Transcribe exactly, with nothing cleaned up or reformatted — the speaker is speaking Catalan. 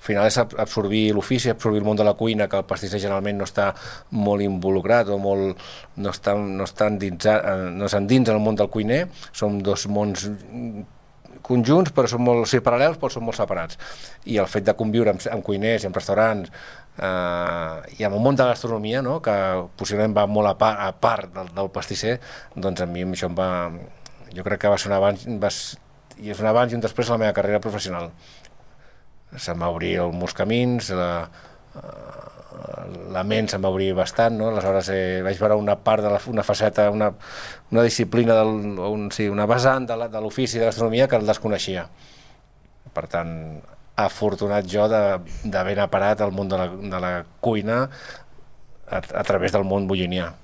final és absorbir l'ofici, absorbir el món de la cuina, que el pastisser generalment no està molt involucrat o molt, no està, no està endinsat, no s'endins en el món del cuiner. Som dos mons conjunts, però són molt, o sigui, paral·lels, però són molt separats. I el fet de conviure amb, amb cuiners i amb restaurants eh, i amb el món de la gastronomia, no?, que possiblement va molt a part, a part del, del pastisser, doncs a mi això em va... Jo crec que va ser un abans, va, i és un abans i un després a la meva carrera professional. Se'm va obrir molts camins, la, la ment se'm va obrir bastant, no? Aleshores eh, vaig veure una part de la, una faceta, una, una disciplina, del, un, sí, una vessant de l'ofici de gastronomia que el desconeixia. Per tant, afortunat jo d'haver anar parat al món de la, de la cuina a, a través del món bullinià.